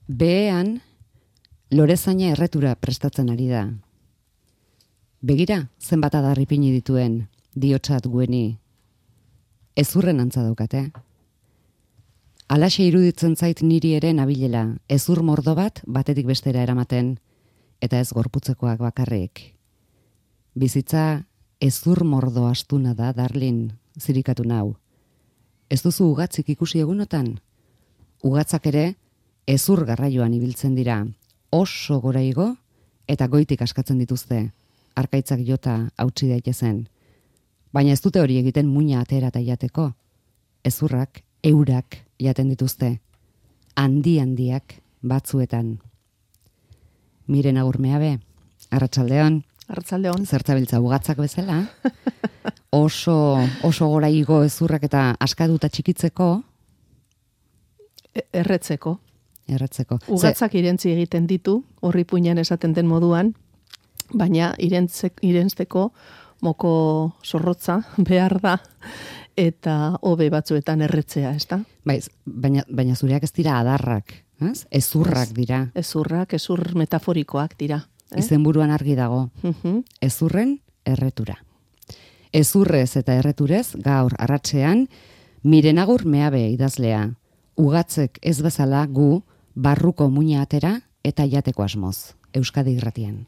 Behean, lorezaina erretura prestatzen ari da. Begira, zenbat adar ipini dituen, diotsat gueni. Ezurren antza daukate. Alaxe iruditzen zait niri ere nabilela, ezur mordo bat batetik bestera eramaten, eta ez gorputzekoak bakarrik. Bizitza ezur mordo astuna da, darlin, zirikatu nau. Ez duzu ugatzik ikusi egunotan? Ugatzak ere ezur garraioan ibiltzen dira, oso gora igo eta goitik askatzen dituzte, arkaitzak jota hautsi daitezen. Baina ez dute hori egiten muina atera eta jateko. Ezurrak, eurak jaten dituzte, handiak batzuetan. Miren Agurmeabe, arratsaldeon. Arratsaldeon. Zertzabiltza ugatzak bezala. Oso gora igo ezurrak eta askaduta txikitzeko. Erretzeko. Ugatzak irentzi egiten ditu, horri puinan esaten den moduan, baina irentzteko moko zorrotza behar da, eta hobe batzuetan erretzea, ez da? Baina zureak ez dira adarrak, ez? Ezurrak dira. Ezur metaforikoak dira. Izenburuan argi dago. Ezurren erretura. Ezurrez eta erreturez gaur arratsean Miren Agurmeabe idazlea. Ugatzek ez bezala gu barruko muina atera eta jateko asmoz. Euskadi Irratian.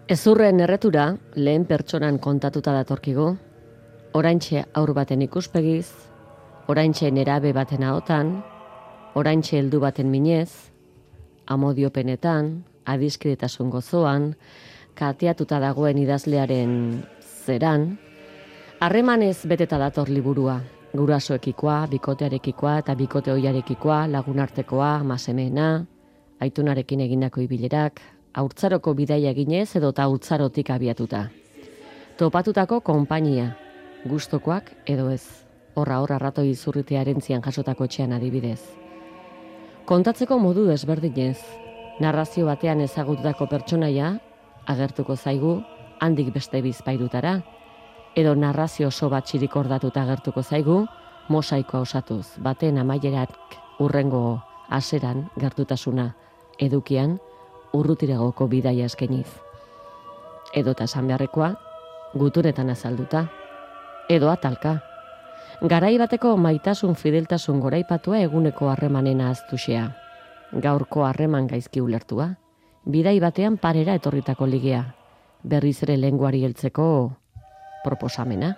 Ezurren erretura lehen pertsonan kontatuta datorkigu, oraintxe haur baten ikuspegiz, oraintxe nerabe baten ahotan, oraintxe heldu baten minez, amodiopenetan, adiskidetasun gozoan, kateatuta dagoen idazlearen zeran, harremanez beteta dator liburua, gurasoekikoa, bikotearekikoa eta bikote ohiarekikoa, lagunartekoa, amasemeena, aitunarekin egindako ibilerak, haurtzaroko bidaia eginez edo eta haurtzarotik abiatuta. Topatutako konpainia, gustokoak edo ez, horra ratoi izurritearen zian jasotako etxean adibidez. Kontatzeko modu desberdinez, narrazio batean ezagututako pertsonaia, agertuko zaigu, handik beste bizpairutara, edo narrazio oso bat txirikordatuta agertuko zaigu, mosaikoa osatuz, baten amaierak urrengo haseran gertutasuna, edukian, urrutiragoko bidaia eskeniz. Edo eta esan beharrekoa, gutunetan azalduta. Edo atalka. Garai bateko maitasun fideltasun goraipatua eguneko harremanena aztuxea. Gaurko harreman gaizki ulertua. Bidai batean parera etorritako ligea. Berriz ere lenguari heltzeko proposamena.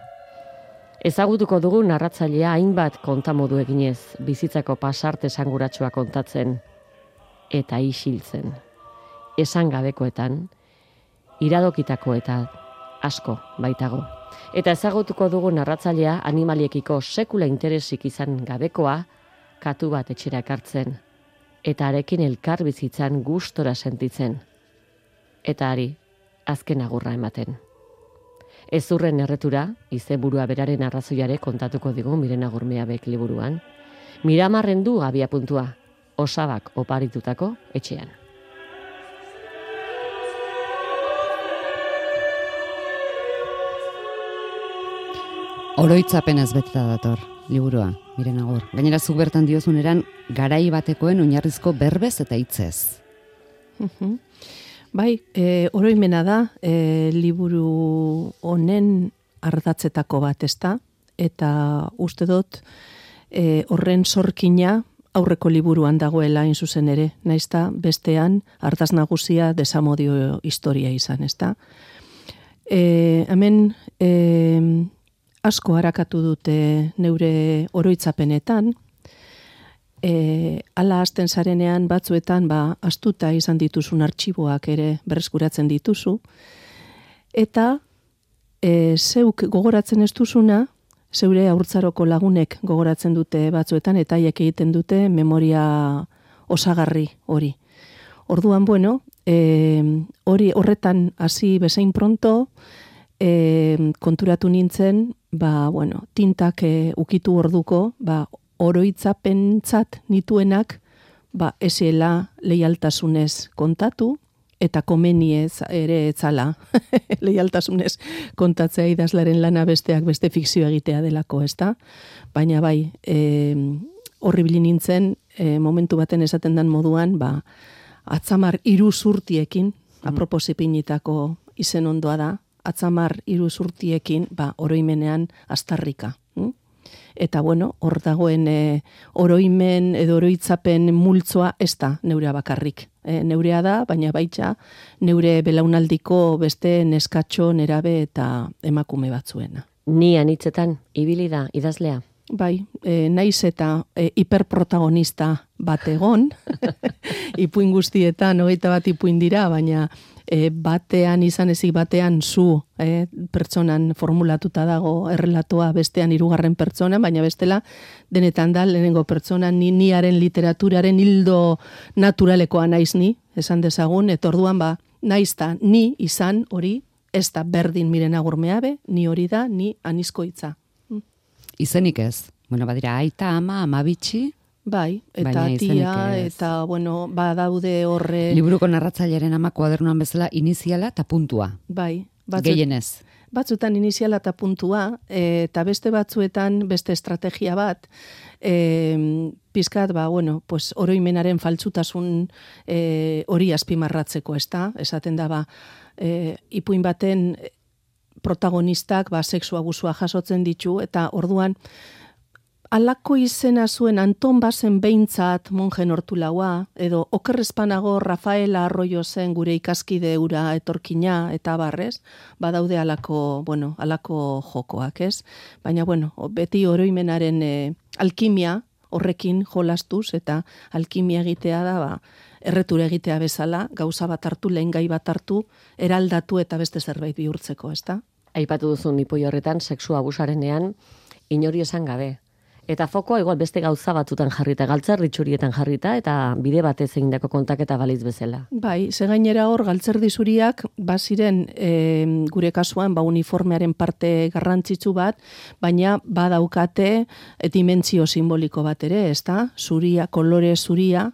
Ezagutuko dugu narratzailea hainbat kontamodu eginez, bizitzako pasarte esanguratsua kontatzen eta isiltzen. Esan gabekoetan, iradokitako eta asko baitago. Eta ezagutuko dugu narratzailea animaliekiko sekula interesik izan gabekoa, katu bat etxera ekartzen, eta arekin elkar bizitzan gustora sentitzen, eta ari azken agurra ematen. Ezurren erretura, izenburua beraren arrazoiare kontatuko digu Miren Agurmeabek liburuan. Miramarren du abiapuntua, osabak oparitutako etxean. Oroitzapenez beteta dator, liburua, Miren Agur. Gainera zuk bertan diozuneran, garai batekoen oinarrizko berbez eta hitzez. Bai, oroimena da, liburu honen ardatzetako bat, ezta? Eta uste dut, horren sorkina aurreko liburuan dagoela hain zuzen ere, naizta bestean ardaz nagusia desamodio historia izan, ezta? Hemen asko harakatu dute neure oroitzapenetan, ala hasten zarenean batzuetan astuta izan dituzun artxiboak ere berreskuratzen dituzu, eta zeuk gogoratzen ez duzuna, zeure haurtzaroko lagunek gogoratzen dute batzuetan, eta haiek egiten dute memoria osagarri hori. Orduan, bueno, horretan hasi bezain pronto, konturatu nintzen, tintak ukitu orduko, oroitzapentzat nituenak, esiela leialtasunez kontatu, eta komeniez ere etzala leialtasunez kontatzea idazlaren lana besteak beste fikzio egitea delako, ezta? Baina bai, horribili nintzen, momentu baten esaten dan moduan, atzamar 3 zurtiekin, apropos ipinitako izen ondoa da, atzamar 3 zurtiekin, oroimenean astarrika. Eta bueno, hor dagoen oroimen edo oroitzapen multzoa ez da neurea bakarrik. Neurea da, baina baita neure belaunaldiko beste neskatxo, nerabe eta emakume batzuena. Ni anitzetan, ibili da, idazlea? Bai, naiz eta hiperprotagonista bat egon, ipuin guztietan, 21 ipuin dira, baina batean izan ezik batean zu pertsonan formulatuta dago errelatoa bestean 3. pertsonan, baina bestela denetan da lehenengo pertsonan niaren literaturaren hildo naturalekoa naiz ni, esan dezagun, eta orduan naiz da ni izan hori, ez da berdin Miren Agur Meabe, ni hori da, ni anizkoitza. Izenik ez? Bueno, badira, aita, ama, bitxi. Bai, eta tia, eta, bueno, badaude horre... Liburuko narratzailearen ama kuadernuan bezala iniziala eta puntua. Bai. Gehienez. Batzuetan iniziala eta puntua, eta beste batzuetan beste estrategia bat, pizkat, oroimenaren faltsutasun hori azpimarratzeko, ezta? Esaten da, ipuin baten protagonistak sexu abusua jasotzen ditu, eta orduan alako izena zuen Anton Basen behintzat monjen hortulaua, edo okerrezpanago Rafaela Arroyo zen gure ikaskide ura etorkina eta barrez, badaude alako jokoak, ez? Baina, beti oroimenaren alkimia horrekin jolastuz, eta alkimia egitea da, erretura egitea bezala, gauza bat hartu, lehen gai bat hartu, eraldatu eta beste zerbait bihurtzeko, ezta? Aipatu duzun ipoi horretan, sexu abusarenean, inori esan gabe. Eta fokoa igual beste gauza batutan jarrita, galtzerritxurietan jarrita, eta bide batez egindako kontaketa baliz bezala. Bai, ze gainera hor, galtzerdizuriak, baziren gure kasuan, uniformearen parte garrantzitsu bat, baina badaukate dimentsio simboliko bat ere, ezta? Zuria, kolore zuria,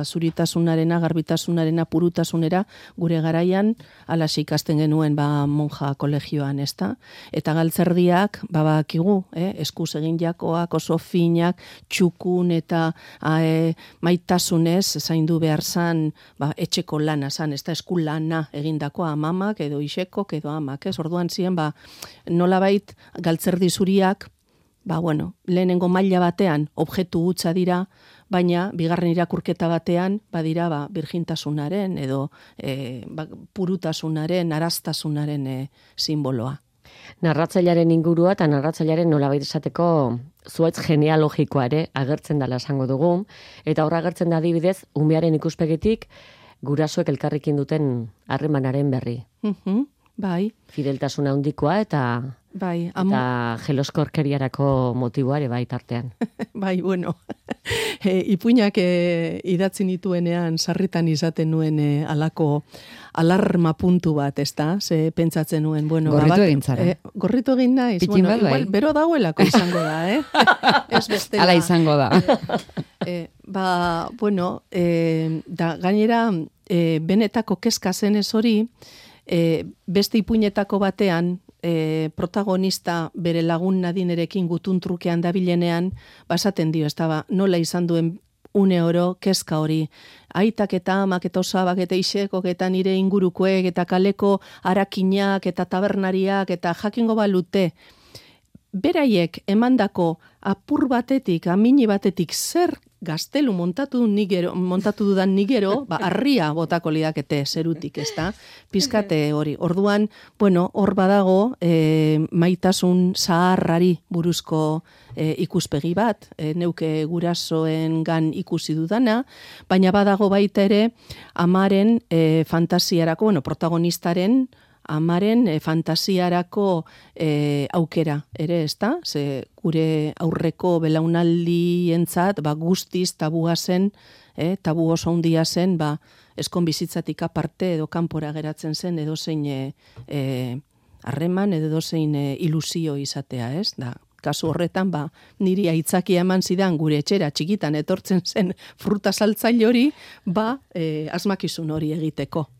zuritasunarena, garbitasunarena, purutasunera, gure garaian, alas ikasten genuen monja kolegioan, ezta? Eta galtzerdiak, bakigu, eskuz egin jakoak, oso finak, txukun eta maitasunez, zaindu behar zan, etxeko lana zan, ez da esku lana egindakoa amamak, edo isekok, edo amak, ez? Orduan ziren, nolabait galtzerdi zuriak, lehenengo maila batean objektu hutsa dira, baina bigarren irakurketa batean badira birjintasunaren edo purutasunaren, araztasunaren simboloa. Narratzailearen ingurua eta narratzailearen nolabait esateko zuaitz genealogikoa ere agertzen dela esango dugu, eta horra agertzen da adibidez umearen ikuspegitik gurasoek elkarrekin duten harremanaren berri. Bai. Fideltasuna handikoa eta jeloskorkeriarako motiboa ere bai tartean. Bai, ipuinak idatzi nituenean sarritan izaten nuen alako alarma puntu bat, ezta? Ze pentsatzen nuen, gorritu egin zara. Gorritu egin naiz, igual, bero dagoelako izango da, Ez bestela. Hala izango da. Da gainera, benetako kezka zenez hori, beste ipuinetako batean, protagonista bere lagun Nadinerekin gutun trukean dabilenean, basaten dio, ez da, nola izan duen une oro, kezka hori, aitak eta amak eta osabak eta isekok eta nire ingurukoek eta kaleko arakinak eta tabernariak eta jakingo balute, beraiek emandako apur batetik, amini batetik zer gaztelu montatu dudan nigero, arria botako lidakete zerutik, ez da? Pizkate hori. Orduan, bueno, hor badago maitasun zaharrari buruzko ikuspegi bat, neuke gurasoengan ikusi dudana, baina badago baita ere amaren fantasiarako, bueno, protagonistaren amaren fantasiarako aukera ere, ez da? Ze gure aurreko belaunaldientzat guztiz tabua zen, tabu oso handia zen, eskon bizitzatik aparte edo kanpora geratzen zen edozein harreman edo edozein ilusio izatea, ez? Da, kasu horretan, niri aitzakia eman zidan gure etxera txikitan etortzen zen fruta saltzaile hori, asmakizun hori egiteko.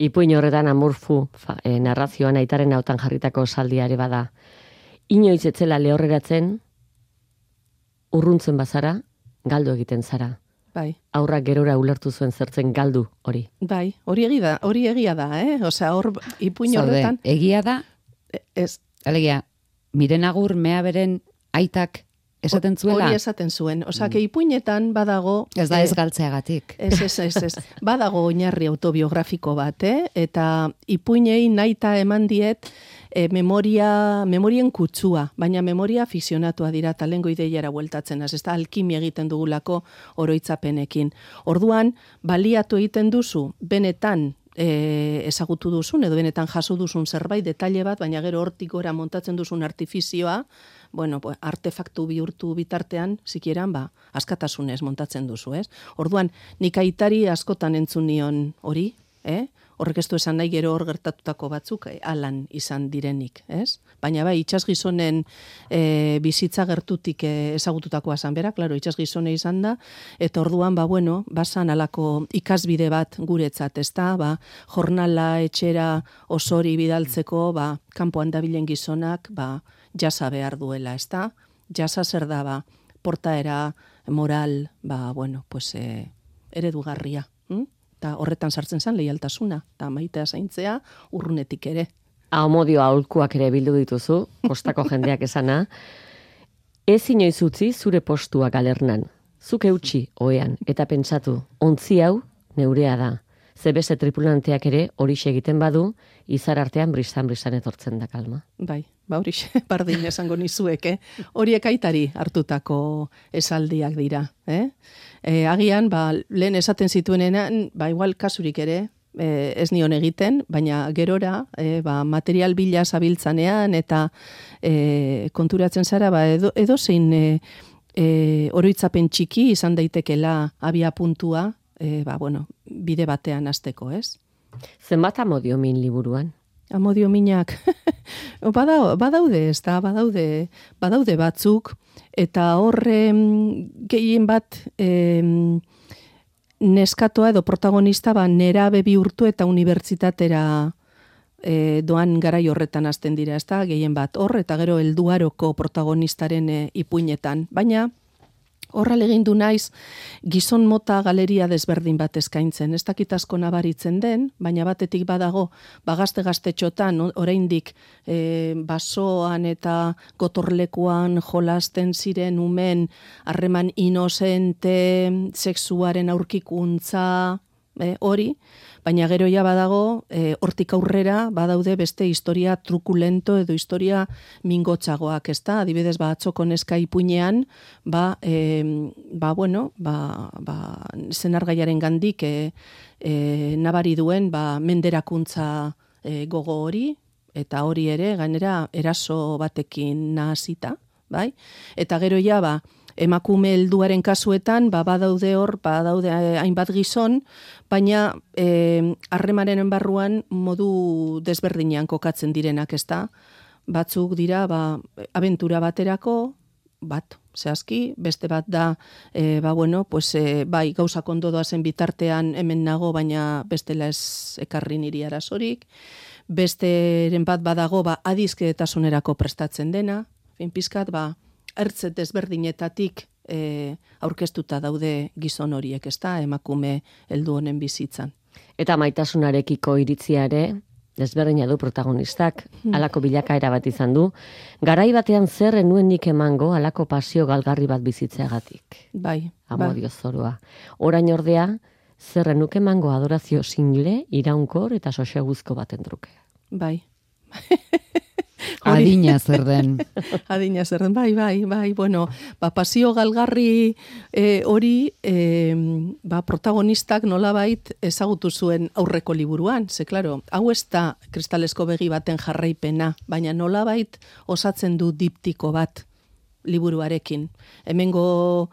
Ipuin horretan amurfu narrazioan aitaren hautan jarritako saldiare bada. Inoiz etzela lehorreratzen, urruntzen bazara, galdu egiten zara. Bai. Aurrak gerora ulertu zuen zertzen galdu hori. Bai, hori egia da, Osea, hor ipuin horretan. Egia da, ez. Alegia, Miren Agur mea beren aitak esaten zuela? Hori esaten zuen. Osea, ipuinetan badago... Ez da ez galtzeagatik. Ez. Badago oinarri autobiografiko bat, Eta ipuinei nahita eman diet memorien kutsua, baina memoria fikzionatua dira talengo ideiara bueltatzen, ez da alkimia egiten dugulako oroitzapenekin. Orduan, baliatu egiten duzu, benetan ezagutu duzun, edo benetan jaso duzun zerbait, detaile bat, baina gero hortik gora montatzen duzun artifizioa, bueno, artefaktu bihurtu bitartean, zikieran, askatasunez montatzen duzu, ez? Orduan, nik aitari askotan entzun nion hori, Horrek ez du esan nahi gero hor gertatutako batzuk alan izan direnik, ez? Baina itsasgizonen bizitza gertutik ezagututakoa zan bera, klaro, itsasgizone izan da, eta orduan, bazan alako ikasbide bat guretzat, ez da, jornala etxera osori bidaltzeko, kanpoan dabilen gizonak, jasa behar duela, ez da? Jasa zer da, portaera, moral, eredugarria, eta horretan sartzen zen leialtasuna, eta maitea zaintzea urrunetik ere. Amodio aholkuak ere bildu dituzu, kostako jendeak esana. Ez inoiz utzi zure postua galernan. Zuk eutxi oean, eta pentsatu, ontzi hau neurea da. Zebese tripulanteak ere horixe egiten badu, izar artean bristan etortzen da kalma. Bai, horixe, bardin esango nizuek, Horiek aitari hartutako esaldiak dira, Agian, lehen esaten zituenean, ikual kasurik ere, ez nion egiten, baina gerora, material bila zabiltzanean, eta konturatzen zara, edo zein oroitzapen txiki izan daitekela abia puntua, bide batean hasteko, ez? Zenbat amodio min liburuan? Amodio minak, badaude, ez da, badaude batzuk, eta horre gehien bat neskatoa edo protagonista nerabe bihurtu eta unibertsitatera doan garai horretan hasten dira, ez da, gehien bat hor, eta gero helduaroko protagonistaren ipuinetan, baina horra legindu naiz gizon mota galeria desberdin bat eskaintzen. Ez dakit asko nabaritzen den, baina batetik badago, gazte-gaztetxotan, oraindik basoan eta gotorlekuan jolasten ziren umen harreman inozente, sexuaren aurkikuntza, hori, baina gero ja badago, hortik aurrera badaude beste historia trukulento edo historia mingotxagoak, ez da? Adibidez, atzoko neska ipuinean, zenargaiaren gandik nabari duen menderakuntza gogo hori, eta hori ere, gainera, eraso batekin nahazita, bai? Eta gero ja, emakume helduaren kasuetan, badaude hainbat gizon, baina harremanaren barruan modu desberdinean kokatzen direnak, ez da? Batzuk dira, abentura baterako, zehazki, beste bat da, gauzak ondo doazen bitartean hemen nago, baina bestela ez ekarri niri arazorik. besteren bat badago, adizkedetasunerako prestatzen dena, pizkat, ertze desberdinetatik aurkeztuta daude gizon horiek, ezta, emakume heldu honen bizitzan. Eta maitasunarekiko iritzia ere, desberdina du protagonistak, halako bilakaera bat izan du. Garai batean zer enuen nik emango halako pasio galgarri bat bizitzeagatik. Bai. Amodio zorua. Orain ordea, zer enuk emango adorazio single, iraunkor eta soseguzko baten truke. Bai. Adina zer den. Adina zer den, bai. Bueno, pasio galgarri hori protagonistak nolabait ezagutu zuen aurreko liburuan. Ze, klaro, hau ez da kristalesko begi baten jarraipena, baina nolabait osatzen du diptiko bat liburuarekin. Hemengo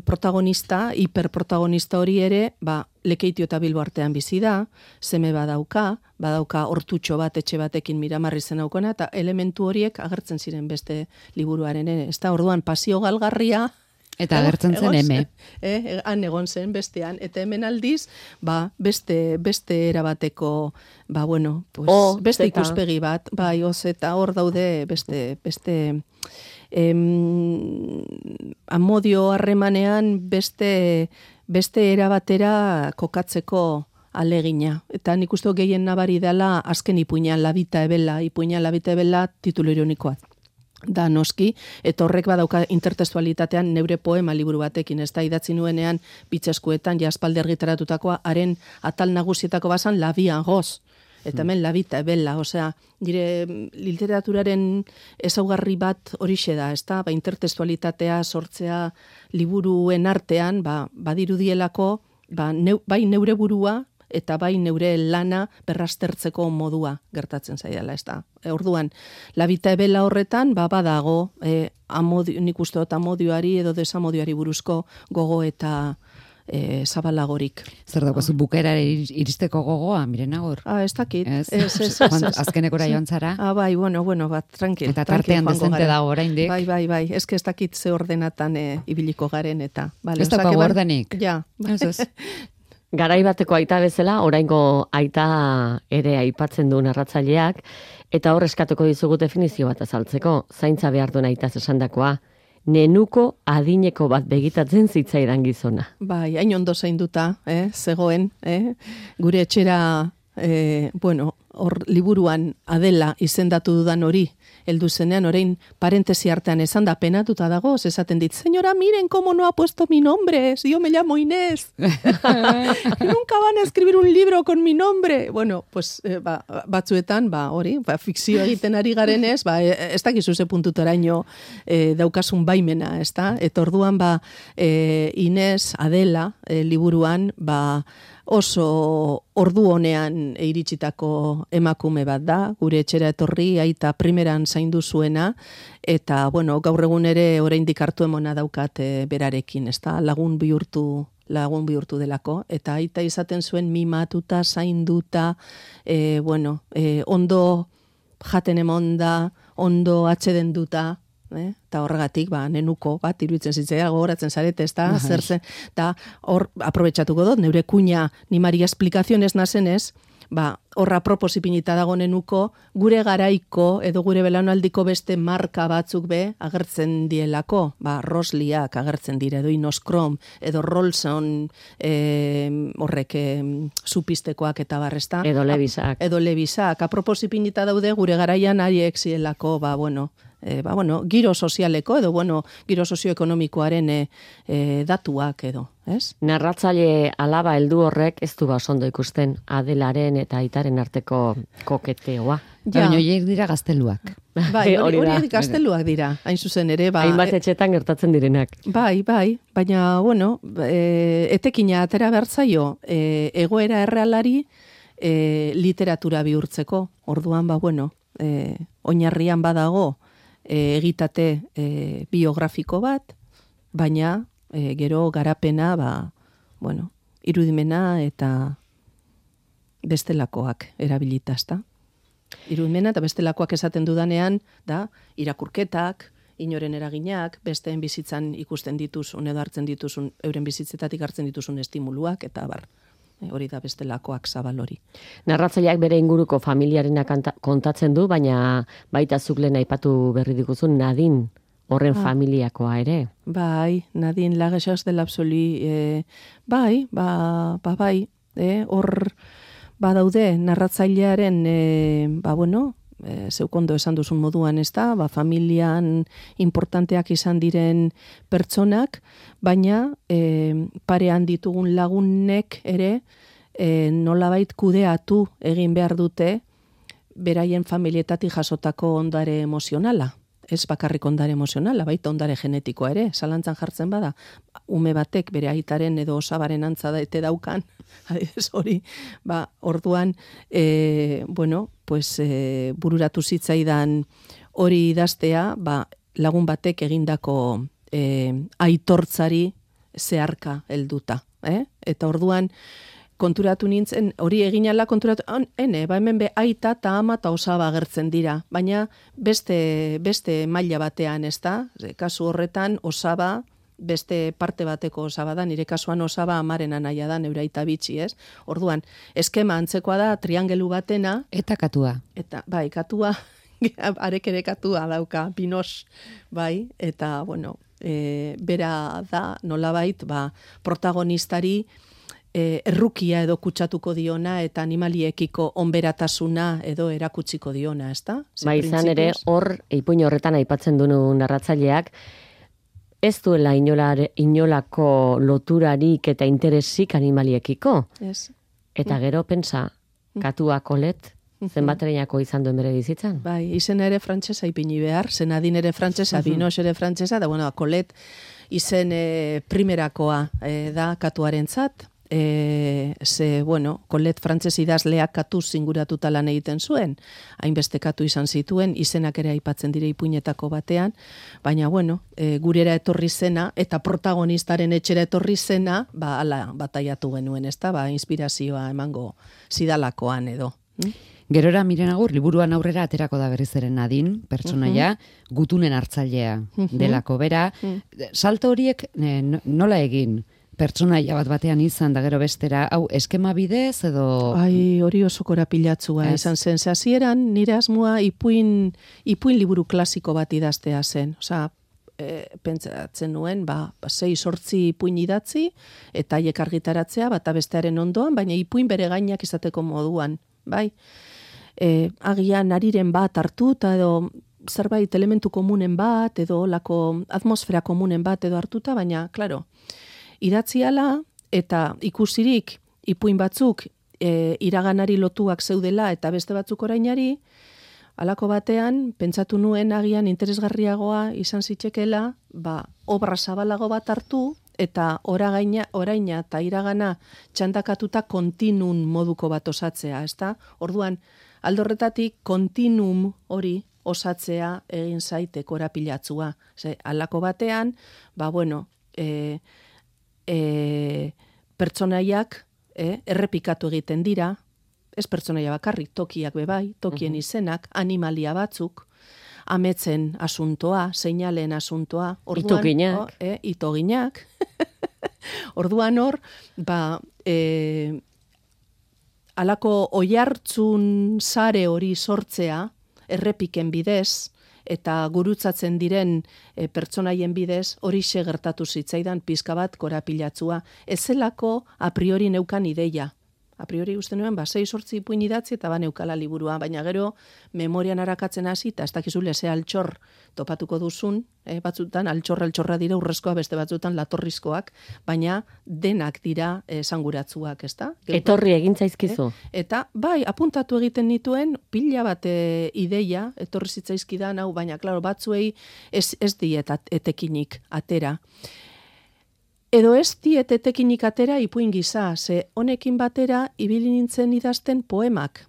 protagonista, hiperprotagonista hori ere, Lekeitio eta Bilbo artean bizi da, seme badauka hortutxo bat etxe batekin Miramarri zen aukona, eta elementu horiek agertzen ziren beste liburuaren. Ez da, orduan, pasio galgarria, eta agertzen zen eme. Han egon zen bestean, eta hemen aldiz, beste erabateko, beste ikuspegi bat, eta hor daude beste amodio harremanean beste erabatera kokatzeko alegina. Eta nik uste gehien nabari dela azken ipuinean labita ebela titulu ironikoa. Da noski, eta horrek badauka intertextualitatean neure poema liburu batekin, ez da idatzi nuenean bitzeskuetan jaspaldi argitaratutakoa, haren atal nagusietako bazan labian goz. Eta hemen labita ebela, osea, dire literaturaren ezaugarri bat horixe da, ez da, intertextualitatea sortzea liburuen artean, badirudielako, bai neure burua, eta bai neure lana berraztertzeko modua gertatzen zaidala, ez da. Orduan, labita ebela horretan, badago, nik uste dut amodioari edo desamodioari buruzko gogo eta zabalagorik. Zer daukazu bukera iristeko gogoa, miren agor? Ez dakit. Azkenekora joan zara? Bai, bueno, tranquil. Eta tartean dezente dago oraindik. Bai. Ez dakit ze ordenatan ibiliko garen, eta. Ez daukagu ordenik? Ja. Garai bateko aita bezala, oraingo aita ere aipatzen du narratzaileak, eta hor eskatuko dizugu definizio bat azaltzeko, zaintza behar duen aitaz esandakoa, nenuko adineko bat begitatzen zitzaidan gizona. Bai, hain ondo zainduta, zegoen, gure etxera, hor liburuan Adela izendatu dudan hori, heldu zenean, orain parentesi artean esan da penatuta dago, esaten dit, señora, miren cómo no ha puesto mi nombre, si yo me llamo Inés. Nunca van a escribir un libro con mi nombre. Bueno, pues batzuetan, hori, fikzio egiten ari garenez, ez dakizu ze puntutaraino daukasun baimena, ez da? Eta orduan, Inés, Adela, liburuan, oso ordu honean iritsitako emakume bat da, gure etxera etorri, aita primeran zaindu zuena, eta, gaur egun ere oraindik hartu emona daukat berarekin, ez da, lagun bihurtu delako, eta aita izaten zuen mimatuta, zainduta, ondo jaten emonda, ondo atxeden duta, eta horregatik, nenuko bat, iruditzen zitzea, gogoratzen zarete, ez da, zer zen, eta hor, aprobetxatuko dut, neure kuña, ni Maria Explicaciones nazenez, horra apropos ipinita dago nenuko, gure garaiko, edo gure belaunaldiko beste marka batzuk agertzen dielako, Rosliak agertzen dire, edo Inoskrom, edo Rolson, horrek, supistekoak eta barrezta. Edo Levisak. Edo Levisak, apropos ipinita daude, gure garaian haiek zielako, giro sozialeko edo giro sozioekonomikoaren datuak edo, ez? Narratzaile alaba heldu horrek ez du basondo ikusten Adelaren eta Aitaren arteko koketeoa. Baina horiek dira gazteluak. Bai, horiek gazteluak dira, hain zuzen ere. Hainbat etxetan gertatzen direnak. Bai, baina, etekina atera bertzaio, egoera errealari literatura bihurtzeko. Orduan, oinarrian badago, egitate biografiko bat, baina gero garapena, irudimena eta bestelakoak erabilitazta. Irudimena eta bestelakoak esaten dudanean, da, irakurketak, inoren eraginak, besteen bizitzan ikusten dituzun edo hartzen dituzun, euren bizitzetatik hartzen dituzun estimuluak, eta bar. Hori da bestelakoak zabal hori. Narratzaileak bere inguruko familiarena kontatzen du, baina baita zuk lehen aipatu berri diguzun Nadine horren familiakoa ere. Bai, Nadine Lagesas de l'Absolu, bai, bai, hor badaude narratzailearen, zeukondo esan duzun moduan, ez da, familian importanteak izan diren pertsonak, baina parean ditugun lagunek ere nolabait kudeatu egin behar dute beraien familietatik jasotako ondare emozionala. Ez bakarrik ondare emozionala, baita ondare genetikoa ere, zalantzan jartzen bada, ume batek bere aitaren edo osabaren antza ete daukan, hori, orduan, bururatu zitzaidan hori idaztea, lagun batek egindako aitortzari zeharka helduta. Eta orduan, konturatu nintzen, hori eginala konturatu, hemen aita eta ama eta osaba agertzen dira, baina beste maila batean, ez da? Kasu horretan, osaba, beste parte bateko osaba da, nire kasuan osaba amaren anaia da, neure aita bitxi, ez? Orduan, eskema antzekoa da, triangelu batena. Eta katua. Eta, katua, arek ere katua dauka, pinos, eta, bera da, nolabait, protagonistari, errukia edo kutsatuko diona eta animaliekiko onberatasuna edo erakutsiko diona, ez da? Izan ere, hor, ipuin horretan aipatzen dunu narratzaileak, ez duela inolako loturarik eta interesik animaliekiko. Ez. Eta gero, pensa, katua Colette, zenbatereinako izan duen bere bizitzan? Izena ere frantsesa ipini behar, Nadine ere frantsesa, Binoche ere frantsesa, da, Colette izen primerakoa da katuarentzat. Colette frantses idazleak katu zinguratuta lan egiten zuen, hainbeste katu izan zituen, izenak ere aipatzen dire ipuinetako batean, baina gurera etorri zena, eta protagonistaren etxera etorri zena, ala bataiatu genuen, ez da, inspirazioa emango zidalakoan edo. Gerora Miren Agur, liburuan aurrera aterako da berriz ere Nadine, pertsonaia, gutunen hartzailea delako bera. Salto horiek nola egin? Pertsonaia bat batean izan da gero bestera, eskema bidez edo... Hori oso korapilatzua izan zen. Hasieran nire asmoa ipuin liburu klasiko bat idaztea zen. Pentsatzen nuen, 6-8 ipuin idatzi, eta haiek argitaratzea, bata bestearen ondoan, baina ipuin bere gainak izateko moduan, bai? Agian nariren bat hartuta edo zerbait elementu komunen bat, edo lako atmosfera komunen bat edo hartuta, baina, klaro, idatziala eta ikusirik ipuin batzuk iraganari lotuak zeudela eta beste batzuk orainari, halako batean, pentsatu nuen agian interesgarriagoa izan zitekela, obra zabalago bat hartu eta oraina eta iragana txandakatuta kontinun moduko bat osatzea, ezta? Orduan, aldorretatik kontinum hori osatzea egin zaite korapilatzua. Halako batean, pertsonaiak errepikatu egiten dira, ez pertsonaia bakarrik, tokiak bebai, tokien izenak, animalia batzuk, ametzen asuntoa, seinalen asuntoa, itoginak. Orduan hor, alako oihartzun sare hori sortzea, errepiken bidez, eta gurutzatzen diren pertsonaien bidez, hori gertatu zitzaidan pizka bat korapilatzua. Ez zelako a priori neukan ideia. A priori uste nuen, 6-8 ipuin idatzi eta neukala liburua, baina gero memorian arakatzen hasi, eta ez dakizule ze altxor topatuko duzun, batzutan altxorra dira urrezkoa, beste batzutan latorrizkoak, baina denak dira esanguratzuak, ez da? Etorri egin zaizkizu. Eta apuntatu egiten nituen, pila bat ideia, etorri zitzaizkidan, baina, klaro, batzuei ez diet etekinik atera. Edo ez diet etekinik atera ipuin gisa, ze honekin batera ibili nintzen idazten poemak.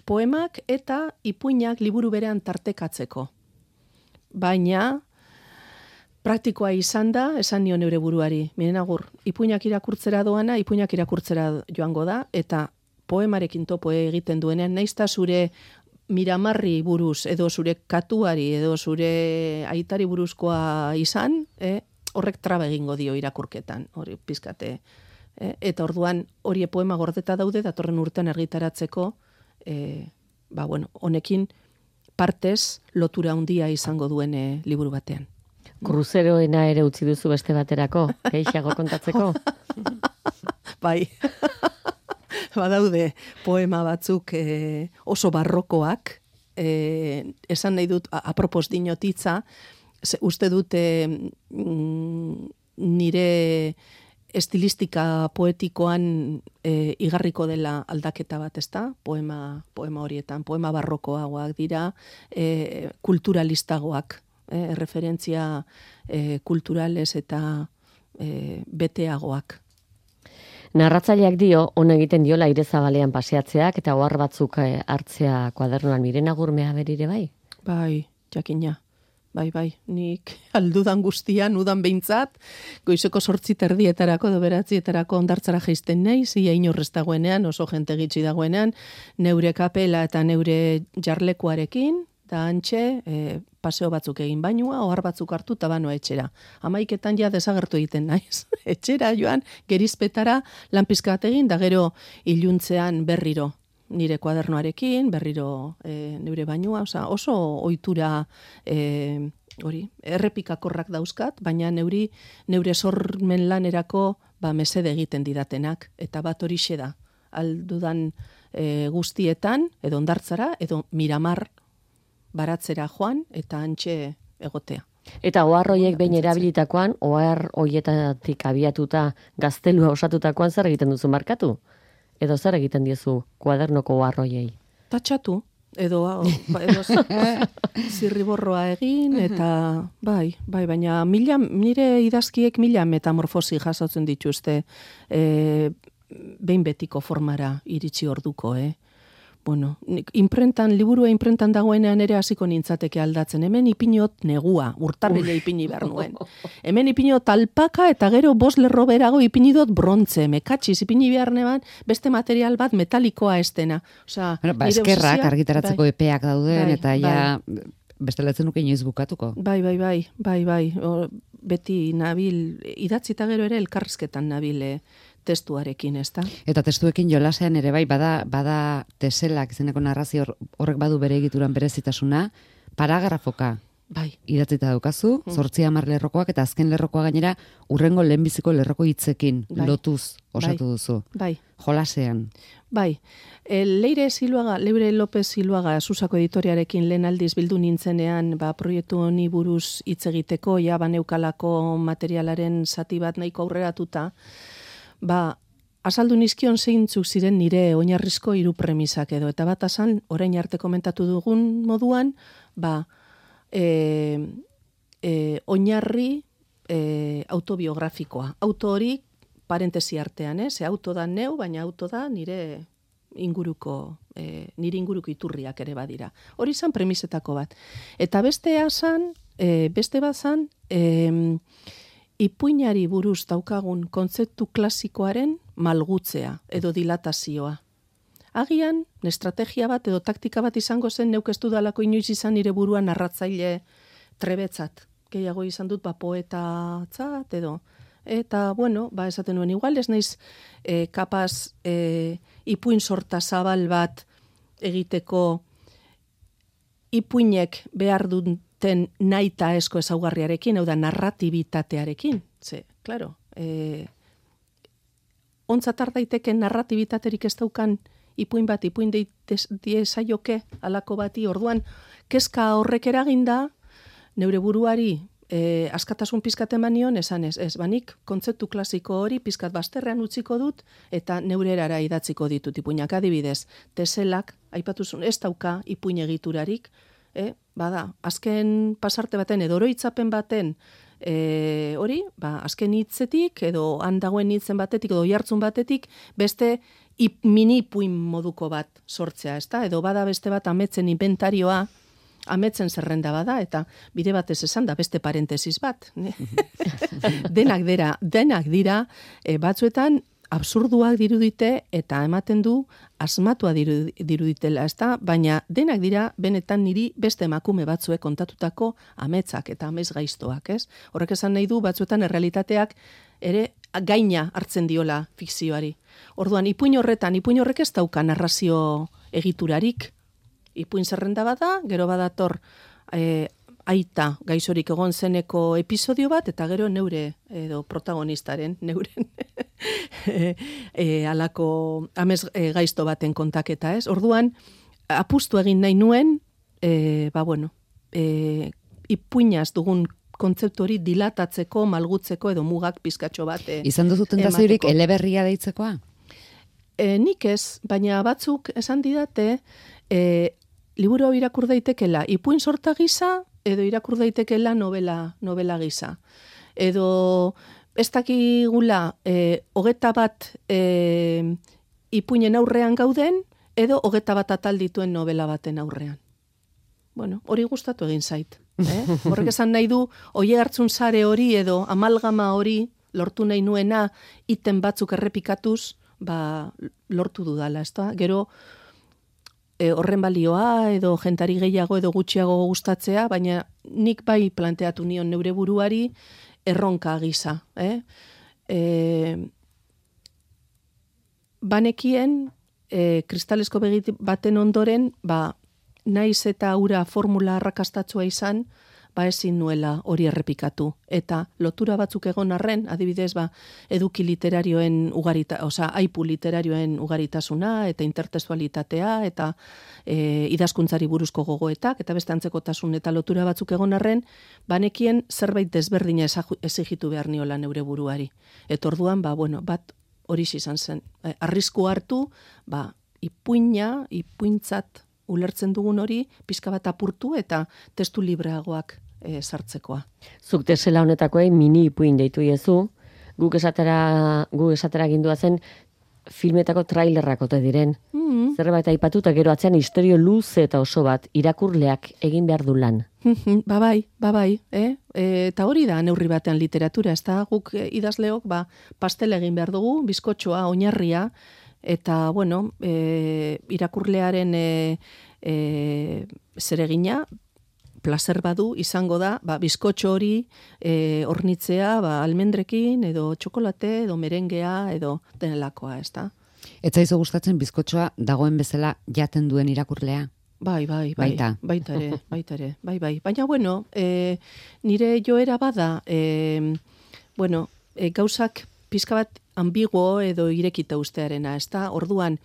Poemak eta ipuinak liburu berean tartekatzeko. Baina, praktikoa izan da, esan nion neure buruari. Miren Agur, ipuinak irakurtzera doana, ipuinak irakurtzera joango da, eta poemarekin topo egiten duenean, naizta zure miramarri buruz, edo zure katuari, edo zure aitari buruzkoa izan, horrek traba egingo dio irakurketan, hori pizkate Eta orduan hori poema gordeta daude datorren urtean argitaratzeko honekin partez lotura handia izango duen liburu batean. Kruzeroena ere utzi duzu beste baterako, gehiago kontatzeko? Bai, badaude poema batzuk oso barrokoak, esan nahi dut, apropos dinotitza, uste dut nire estilistika poetikoan igarriko dela aldaketa bat, ezta? Poema horietan, poema barrokoagoak dira, kulturalistagoak, referentzia kulturales eta beteagoak. Narratzaileak dio, on egiten diola aire zabalean paseatzeak eta ohar batzuk hartzea kuadernoan. Miren Agurmea berire bai? Bai, jakina. Bai, nik aldudan guztian, udan behintzat, goizeko 8:30 edo 9:00 hondartzara jaisten naiz, ia inorrez dagoenean, oso jente gitxi dagoenean, neure kapela eta neure jarlekuarekin, da antxe, paseo batzuk egin bainua, ohar batzuk hartu eta banoa etxera. 11:00 ja desagertu egiten naiz. Etxera joan, gerizpetara, lan pizka bat egin, da gero iluntzean berriro. Nire kuadernoarekin, berriro neure bainua, oso ohitura errepikakorrak dauzkat, baina neure sormen lanerako mesede egiten didatenak, eta bat horixe da, aldudan guztietan, edo hondartzara, edo Miramar baratzera joan, eta antxe egotea. Eta ohar horiek behin erabilitakoan, ohar horietatik abiatuta gaztelua osatutakoan zer egiten duzu markatu? Edo zer egiten diezu kuadernoko ohar horiei? Tatxatu, edo zirriborroa egin, eta bai, baina nire idazkiek 1000 metamorfosi jasotzen dituzte behin betiko formara iritsi orduko, Bueno, liburua imprentan dagoenean ere hasiko nintzateke aldatzen. Hemen ipinot negua, urtarrile ipini behar nuen. Hemen ipinot alpaka eta gero 5 lerro berago ipinidot brontze, mekatxiz ipini behar neban beste material bat metalikoa estena. Eskerrak argitaratzeko epeak dauden eta ja bestelatzen nuke inoiz bukatuko. Bai. Beti nabil, idatzita gero ere elkarrizketan nabil testuarekin, ezta? Eta testuekin jolasean ere bai, bada teselak izeneko narrazio horrek badu bere egituran berezitasuna, paragrafoka bai. Idatzita daukazu, 8-10 lerrokoak eta azken lerrokoa gainera urrengo lehenbiziko lerroko hitzekin lotuz osatu duzu. Bai. Jolasean. Bai. Leire López Ziluaga Susako editoriarekin lehen aldiz bildu nintzenean, proiektu honi buruz hitz egiteko, baneukalako materialaren zati bat nahiko aurreratuta, azaldu nizkion zeintzuk ziren nire oinarrizko 3 premisak edo, eta bat azan, orain arte komentatu dugun moduan, oinarri autobiografikoa. Auto hori, parentesi artean, ze auto da neu, baina auto da nire inguruko iturriak ere badira. Hori izan premisetako bat. Eta beste bat zan, ipuinari buruz daukagun kontzeptu klasikoaren malgutzea edo dilatazioa. Agian, estrategia bat edo taktika bat izango zen neuk ez dudalako inoiz izan nire buruan narratzaile trebetzat. Gehiago izan dut poetatzat edo. Eta, esaten nuen, igual ez naiz kapaz ipuin sorta zabal bat egiteko ipuinek behar duten naita esko ezaugarriarekin, hau da narratibitatearekin. Claro, ontzatar daiteken narratibitaterik ez daukan ipuin diezaioke alako bati, orduan, kezka horrek eraginda, neure buruari askatasun pizkat eman nion, esan ez, banik kontzeptu klasiko hori pizkat bazterrean utziko dut, eta neure erara idatziko ditut ipuinak. Adibidez, teselak, aipatuzun, ez dauka ipuin egiturarik, azken pasarte baten, edo oroitzapen baten, hori, azken hitzetik, edo handagoen hitzen batetik, edo jartzun batetik, beste mini ipuin moduko bat sortzea, ezta? Edo bada beste bat ametzen inventarioa, ametzen zerrenda bada, eta bide batez esan da beste parentesis bat. Denak dira, batzuetan absurduak dirudite eta ematen du asmatua diruditela, ezta? Baina denak dira benetan niri beste emakume batzuek kontatutako ametzak eta amez gaiztoak, ez? Horrek esan nahi du batzuetan errealitateak ere gaina hartzen diola fikzioari. Orduan, ipuin horrek ez dauka narrazio egiturarik. Ipuin zerrenda bada, gero badator aita gaixorik egon zeneko episodio bat, eta gero neure, edo protagonistaren, neuren alako amez gaizto baten kontaketa, ez? Orduan, apustu egin nahi nuen, ipuinaz dugun kontzeptu hori dilatatzeko, malgutzeko edo mugak pizkatxo bat izan duzu tentaziorik eleberria deitzekoa? Nik ez, baina batzuk esan didate, liburu hau irakur daitekela ipuin sorta gisa, edo irakur daitekela novela gisa. Edo ez dakigula 21 ipuinen aurrean gauden, edo 21 atal dituen novela baten aurrean. Bueno, hori gustatu egin zait. Horrek esan nahi du, oie hartzun sare hori edo amalgama hori lortu nahi nuena iten batzuk errepikatuz, lortu dudala, ezta? Gero, horren balioa edo jentari gehiago edo gutxiago gustatzea, baina nik bai planteatu nion neure buruari erronka gisa. Banekien, kristalesko begi baten ondoren, naiz eta ura formula arrakastatsua izan, ezin nuela hori errepikatu. Eta lotura batzuk egon arren, adibidez, eduki literarioen aipu literarioen ugaritasuna, eta intertextualitatea, eta idazkuntzari buruzko gogoetak, eta beste antzekotasun eta lotura batzuk egon arren, banekien zerbait desberdina exigitu behar niola neure buruari. Eta orduan, bat hori izan zen. Arrisku hartu, ipuintzat ulertzen dugun hori, pizka bat apurtu eta testu libreagoak sartzekoa. Zuk tesela honetakoei mini ipuin deitu iezu, guk esatera gindua zen filmetako trailerrak ote diren. Zerbait aipatu eta gero atzean istorio luze eta oso bat irakurleak egin behar du lan. Bai. Eta hori da neurri batean literatura, ez da guk idazleok pastela egin behar dugu, bizkotxoa, oinarria, eta, irakurlearen zeregina, placer badu izango da, bizkotxo hori hornitzea, almendrekin, edo txokolate, edo merengea, edo denelakoa, ez da? Ez zaizu gustatzen bizkotxoa dagoen bezala jaten duen irakurlea? Bai. Baita ere. Baina, nire joera bada, gauzak pizka bat ambiguo edo irekita ustearena, ez da? Orduan,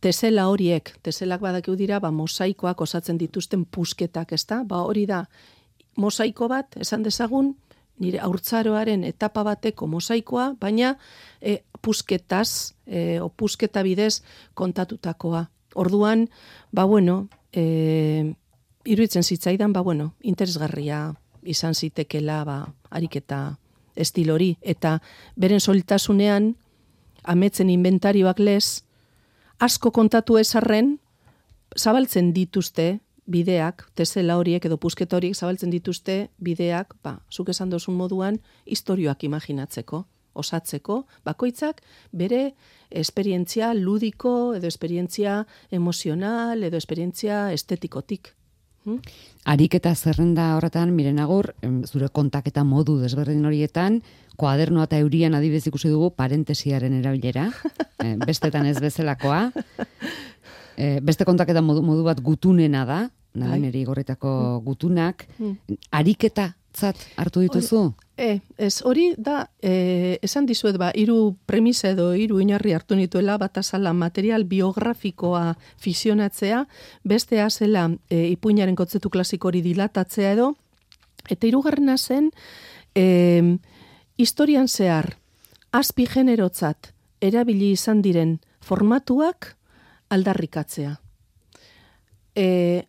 teselak badakiu dira, mosaikoak osatzen dituzten pusketak, ez da? Hori da, mosaiko bat, esan dezagun, nire haurtzaroaren etapa bateko mosaikoa, baina pusketaz, pusketa bidez kontatutakoa. Orduan, iruditzen zitzaidan, interesgarria izan zitekela, ariketa estil hori, eta beren solitasunean, ametzen inventarioak lez, asko kontatu ezarren, zabaltzen dituzte bideak, tesela horiek edo pusketa horiek zabaltzen dituzte bideak, zuk esan dozun moduan, istorioak imaginatzeko, osatzeko, bakoitzak bere esperientzia ludiko, edo esperientzia emozional, edo esperientzia estetikotik. Ariketa zerrenda horretan, miren agur, zure kontaketa modu desberdin horietan, koadernoa eta eurian adibidez ikusi dugu parentesiaren erabilera, bestetan ez bezalakoa, beste kontaketa modu bat gutunena da, niri gorretako gutunak, ariketa zat hartu dituzu? Ez hori da, esan dizuet, hiru premisa edo hiru oinarri hartu nituela, bat azala material biografikoa fisionatzea, bestea zela ipuinaren kontzeptu klasiko hori dilatatzea edo, eta hirugarrena zen, historian zehar, azpi generotzat erabili izan diren formatuak aldarrikatzea.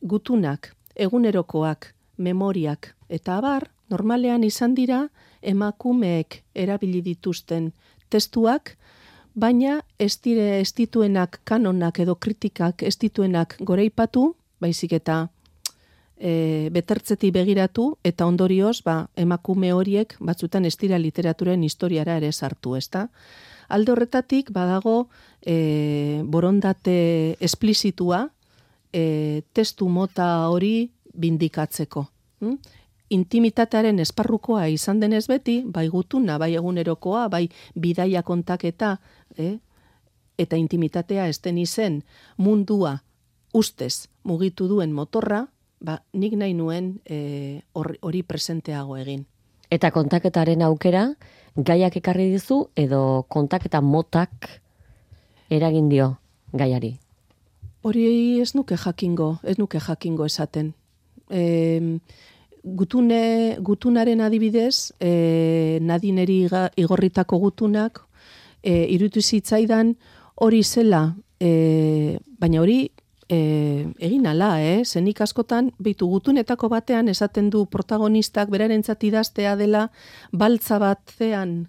Gutunak, egunerokoak, memoriak eta abar, normalean izan dira emakumeek erabili dituzten testuak, baina ez dituenak kanonak edo kritikak ez dituenak goreipatu, baizik eta betertzetik begiratu, eta ondorioz emakume horiek batzutan ez dira literaturen historiara ere sartu, ezta? Alde horretatik badago borondate esplizitua testu mota hori bindikatzeko. intimitatearen esparrukoa izan denez beti, bai gutuna, bai egunerokoa, bai bidaia kontaketa, eta intimitatea esten izen mundua ustez mugitu duen motorra, nik nahi nuen hori presenteago egin. Eta kontaketaren aukera, gaiak ekarri dizu, edo kontaketa motak eragin dio gaiari? Hori ez nuke jakingo esaten. Gutunaren adibidez, Nadineri igorritako gutunak, iruditu zitzaidan hori zela, baina hori egin ala, zenik askotan, behitu gutunetako batean esaten du protagonistak berarentzat idaztea dela baltza baten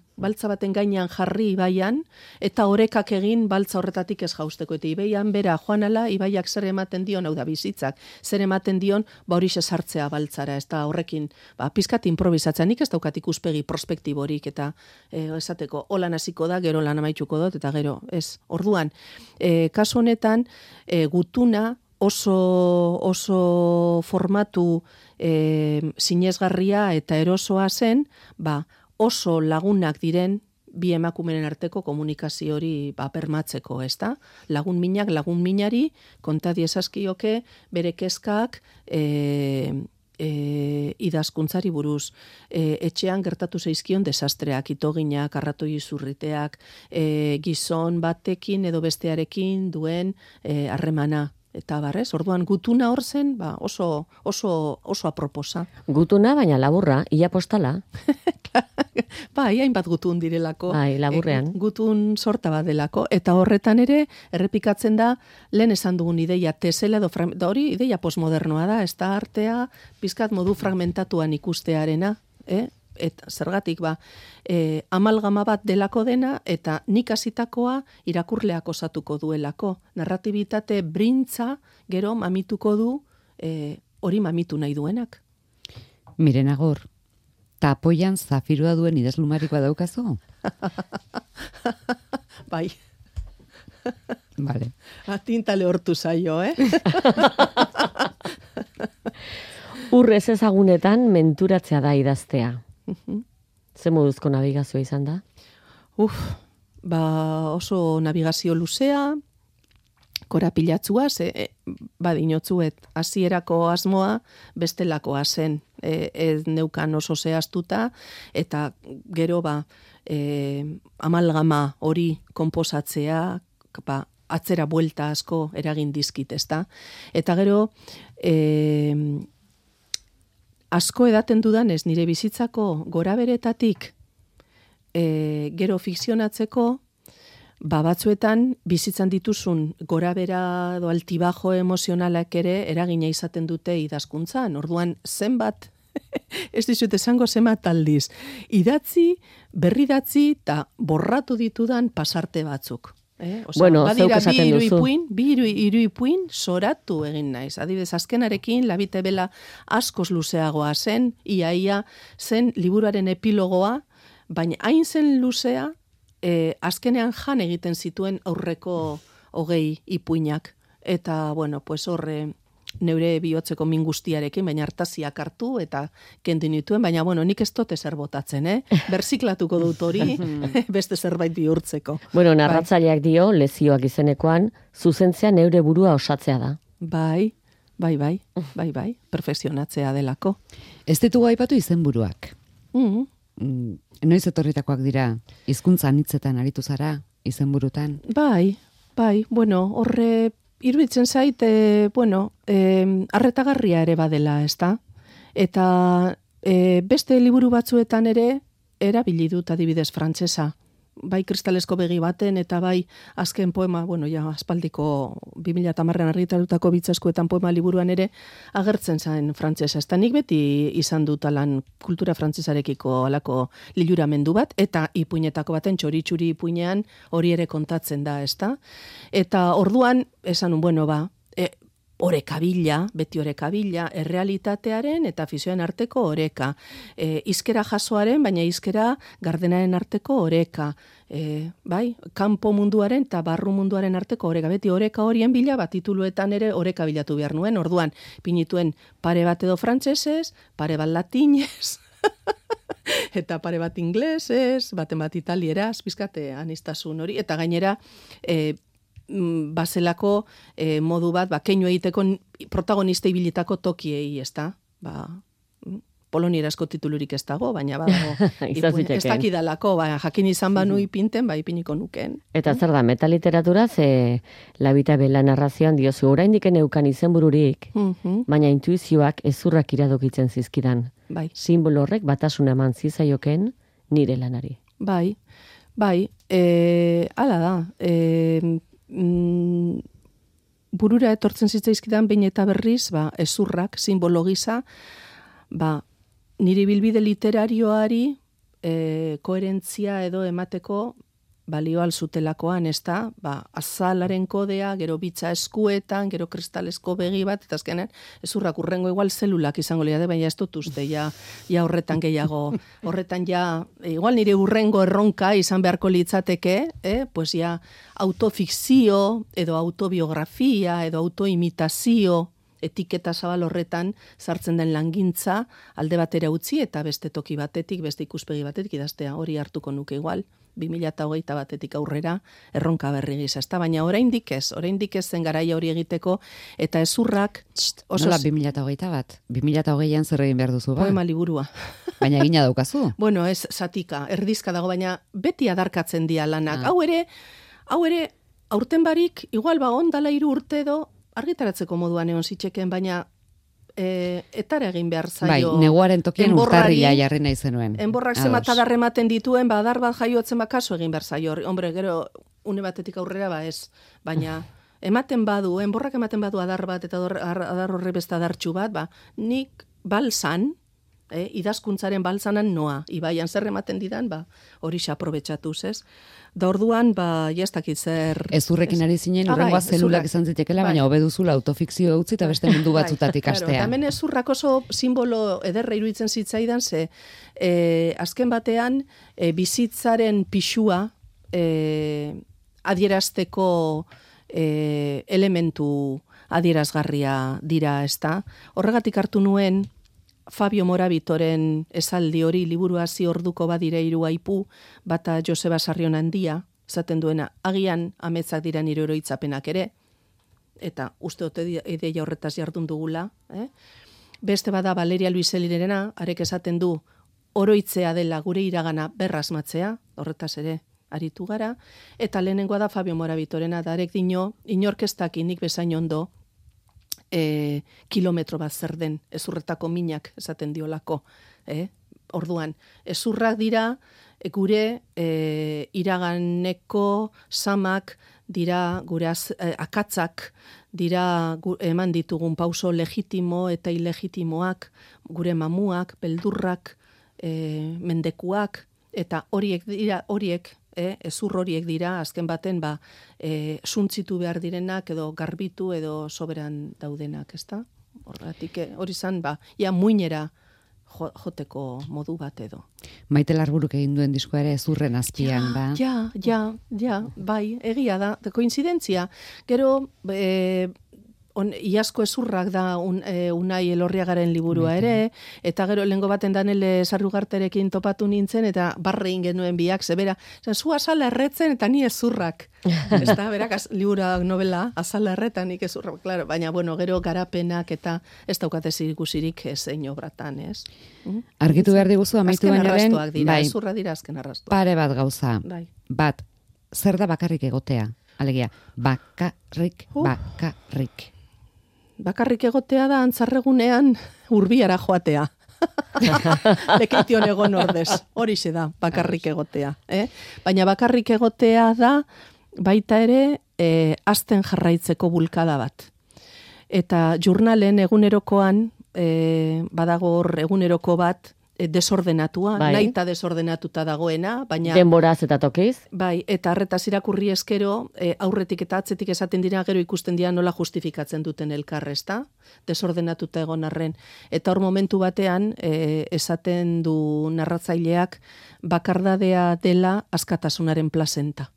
gainean jarri ibaian, eta orekak egin baltza horretatik ez jausteko. Eta ibaian bera joan ala, ibaiak zer ematen dion, hau da bizitzak, zer ematen dion, hori sartzea baltzara, ez da horrekin, pizkat improvisatzea, nik ez daukat ikuspegi prospektiborik, eta esateko, holan hasiko da, gero lan amaituko dut, eta gero, ez. Orduan, kasu honetan, gutuna oso formatu sinesgarria eta erosoa zen, oso lagunak diren bi emakumeren arteko komunikazio hori bermatzeko, ezta? Lagun minari konta diezazkioke bere kezkak idazkuntzari buruz. Etxean gertatu zaizkion desastreak, itoginak, arratoi izurriteak, gizon batekin edo bestearekin duen harremana. Eta barrez, orduan gutuna hor zen, oso aproposa. Gutuna, baina laburra, ia postala. Hainbat gutun direlako. Laburrean. Gutun sorta bat delako. Eta horretan ere, errepikatzen da, lehen esan dugun ideia tesela, da hori ideia postmodernoa da, ez da artea, pizkat modu fragmentatuan ikustearena, eta zergatik amalgama bat delako dena, eta nik hasitakoa irakurleak osatuko duelako. Narratibitate brintza gero mamituko du hori mamitu nahi duenak. Miren Agor, tapoian zafirua duen idazlumarikoa daukazu? Bai. Vale. Tintale hortu zaio, Urrez ezagunetan menturatzea da idaztea. Ze moduzko navigazioa izan da? Oso navigazio luzea, korapilatzua, dinotzuet, hasierako asmoa bestelakoa zen, ez neukan oso zehaztuta, eta gero amalgama hori konposatzea, atzera buelta asko eragin dizkit, ezta? Eta gero, asko edaten dudanez, nire bizitzako goraberetatik gero fikzionatzeko, batzuetan bizitzan dituzun gorabera edo altibajo emozionalak ere eragina izaten dute idazkuntzan. Orduan, zenbat, ez dizut esango zenbat aldiz, idatzi, berridatzi eta borratu ditudan pasarte batzuk. Zeuk esaten duzu. Bi iruipuin soratu egin naiz. Adibidez, azkenarekin labite bela askoz luzeagoa zen, ia zen liburuaren epilogoa, baina hain zen luzea, azkenean jan egiten zituen aurreko 20 ipuinak. Eta, horre neure bihotzeko min guztiarekin, baina hartaziak hartu eta kendu nituen, baina nik ez dut ezer botatzen, berziklatuko dut hori, beste zerbait bihurtzeko. Narratzaileak dio, lezioak izenekoan, zuzentzea neure burua osatzea da. Bai, perfekzionatzea delako. Ez ditugu aipatu izenburuak. Noiz etorritakoak dira, hizkuntza anitzetan aritu zara, izenburutan? Bai, horre iruditzen zait, arretagarria ere badela, ezta? Eta beste liburu batzuetan ere erabili dut adibidez frantsesa. Bai kristalesko begi baten eta bai azken poema, aspaldiko 2010an argitaratutako Bitzaskuetan poema liburuan ere agertzen zen frantsesa. Eta nik beti izan dut alan kultura frantsesarekiko alako liluramendu bat, eta ipuinetako baten txori-txuri ipuinean hori ere kontatzen da, ezta? Eta orduan esan oreka bila, beti oreka bila, errealitatearen eta fikzioen arteko oreka. Hizkera jasoaren, baina hizkera gardenaren arteko oreka. Bai, kanpo munduaren eta barru munduaren arteko oreka. Beti oreka horien bila, tituluetan ere oreka bilatu behar nuen. Orduan, pinituen pare bat edo frantsesez, pare bat latinez, eta pare bat inglesez, baten bat italieraz, pizkate aniztasun hori, eta gainera, bazelako modu bat, keinu egiteko protagonista ibilitako tokiei, ez da? Polonierazko titulurik ez dago, baina badago. Ez dakidalako, jakin izan banu ipinten, ipiniko nuken. Eta zer da, metaliteratura, ze Labita Bela narrazioan diozu, oraindik neukan izenbururik, baina intuizioak ezurrak iradokitzen zizkidan. Bai. Simbolo horrek batasuna eman zizaioken nire lanari. Bai, hala da. Burura etortzen zitzaizkidan behin eta berriz, ezurrak, simbolo gisa, nire bilbide literarioari koherentzia edo emateko balio alzutelakoan, ez da, azalaren kodea, gero bitza eskuetan, gero kristalesko begi bat, eta azkenean, ezurrak urrengo igual zelulak izango liade, baina ez dut uste, ja horretan gehiago, horretan igual nire urrengo erronka izan beharko litzateke, pues ja autofikzio, edo autobiografia, edo autoimitazio, etiketa zabal horretan sartzen den langintza alde batera utzi eta beste toki batetik, beste ikuspegi batetik idaztea hori hartuko nuke igual, 2021 batetik aurrera erronka berri gisa, ezta, baina oraindik ez zen garaia hori egiteko eta ezurrak nola 2021 bat? 2020an zer egin behar duzu ba? Poema liburua. Baina egina daukazu? Bueno, ez zatika, erdizka dago, baina beti adarkatzen dia lanak. Hau ere, aurten barik, igual ondala 3 urte edo argitaratzeko moduan egon zitzeken, baina etara egin behar zaio. Bai, neguaren tokien urtarria jarri nahi zenuen. Enborrak zemat adarrematen dituen, adar bat jaiotzen kasu egin behar zaio. Hombre, gero, une batetik aurrera ez. Baina, enborrak ematen badu adar bat, eta adar horre beste adartxu bat, nik balzan, idazkuntzaren balzanan noa, ibaian zer ematen didan, hori xa aprobetxatuz, ez? Da orduan, jastakit zer... Ezurrekin ari zinen, urrengoa zelulak izan zitekela, baina hobeduzula autofikzio utzi eta beste mundu batzutatik astea. Hemen ezurrak oso simbolo ederra iruditzen zitzaidan, ze azken batean bizitzaren pixua adierazteko elementu adierazgarria dira, ezta? Horregatik hartu nuen Fabio Morabitoren esaldi hori liburu hasi orduko badire 3 aipu, bata Joseba Sarrion Handia, esaten duena, agian ametzak dira nire oroitzapenak ere, eta uste ote ideia horretaz jardun dugula. Beste bada Valeria Luiselirena, arek esaten du, oroitzea dela gure iragana berrasmatzea, horretaz ere aritu gara, eta lehenengoa da Fabio Morabitorena, da arek dino, inorkestak nik bezain ondo, kilometro bat zer den, ezurretako minak esaten diolako. Orduan, ezurrak dira, gure iraganeko samak dira, gure akatzak dira eman ditugun pauso legitimo eta ilegitimoak, gure mamuak, beldurrak, mendekuak, eta horiek, ezur horiek dira, azken baten, suntzitu behar direnak, edo garbitu, edo soberan daudenak, ezta? Horregatik, hori zan, muinera joteko modu bat edo. Maite Larburuk egin duen diskoa ere ezurren azpian, ba? Ja, bai, egia da, koinzidentzia. Gero, iazko ezurrak da Unai Elorriagaren liburua ere, eta gero lehengo baten Danele Sarrugarterekin topatu nintzen, eta barre genuen biak, zebera, zu azala erretzen eta ni ezurrak. Ez da, berak, liburuak novela, azala erretan nik ezurrak, claro, baina, bueno, gero garapenak eta ez daukate zirikusirik zein obratan, ez? Argitu behar diguzu, amaitu bainaren, bai, ezurra dira azken arrastoak. Pare bat gauza, bai. Bat, zer da bakarrik egotea? Alegia, bakarrik. Bakarrik egotea da antzarregunean urbiara joatea. Lekeition egon ordez. Horixe da, bakarrik egotea. Baina bakarrik egotea da, baita ere, azten jarraitzeko bulkada bat. Eta jurnalen egunerokoan, badago hor eguneroko bat, desordenatua, Bai. nahita desordenatuta dagoena, baina Denboraz eta tokiz. bai, eta arretaz irakurri eskero, aurretik eta atzetik esaten dira, gero ikusten dira nola justifikatzen duten elkar, ezta? Desordenatuta egon arren. Eta hor momentu batean, esaten du narratzaileak, bakardadea dela askatasunaren plazenta.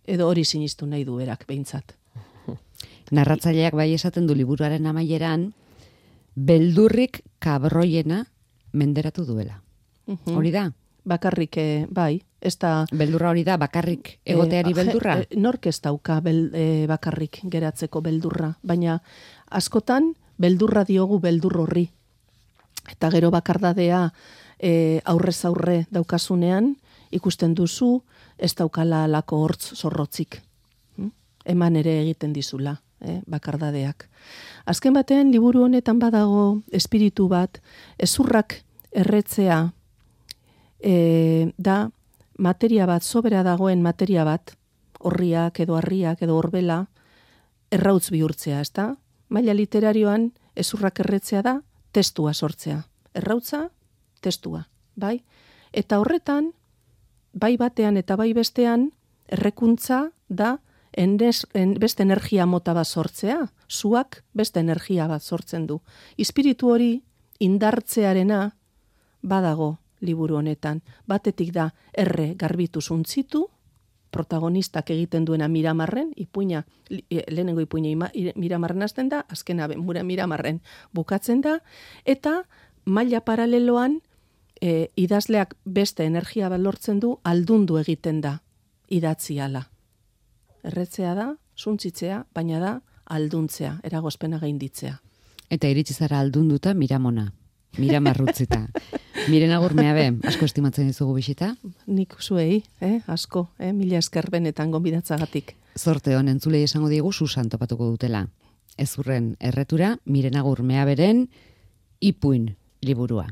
Edo hori sinistu nahi du berak, behintzat. Narratzaileak bai esaten du liburuaren amaieran, beldurrik kabroiena menderatu duela. Hori da? Bakarrik, bai, ez da... Beldurra hori da, bakarrik egoteari beldurra? Nork ez dauka bakarrik geratzeko beldurra, baina askotan beldurra diogu beldur horri. Eta gero bakardadea aurrez aurre daukasunean, ikusten duzu, ez daukala alako hortz zorrotzik. Eman ere egiten dizula, bakardadeak. Azken batean, liburu honetan badago espiritu bat, ezurrak erretzea da materia bat, sobera dagoen materia bat, horriak edo harriak edo horbela, errautz bihurtzea, ezta? Maila literarioan, ezurrak erretzea da testua sortzea. Errautza, testua, bai? Eta horretan, bai batean eta bai bestean, errekuntza da beste energia mota bat sortzea, zuak beste energia bat sortzen du. Espiritu hori indartzearena badago liburu honetan. Batetik da garbitu zuntzitu, protagonistak egiten duena Miramarren, ipuina, lehenengo ipuina Miramarren hasten da, azkena Miramarren bukatzen da, eta maila paraleloan idazleak beste energia bat lortzen du, aldundu egiten da idatziala. Erretzea da, zuntzitzea, baina da alduntzea, eragozpena gainditzea. Eta iritsi zara aldunduta Miramona, Miramarrutzita. Miren Agurmea be, asko estimatzen dizugu bisita? Nik zuei, asko, mila esker benetan gonbidatzagatik. Zorte hon entzulei esango diegu Susan topatuko dutela. Ezurren erretura, Miren Agurmea beren ipuin liburua.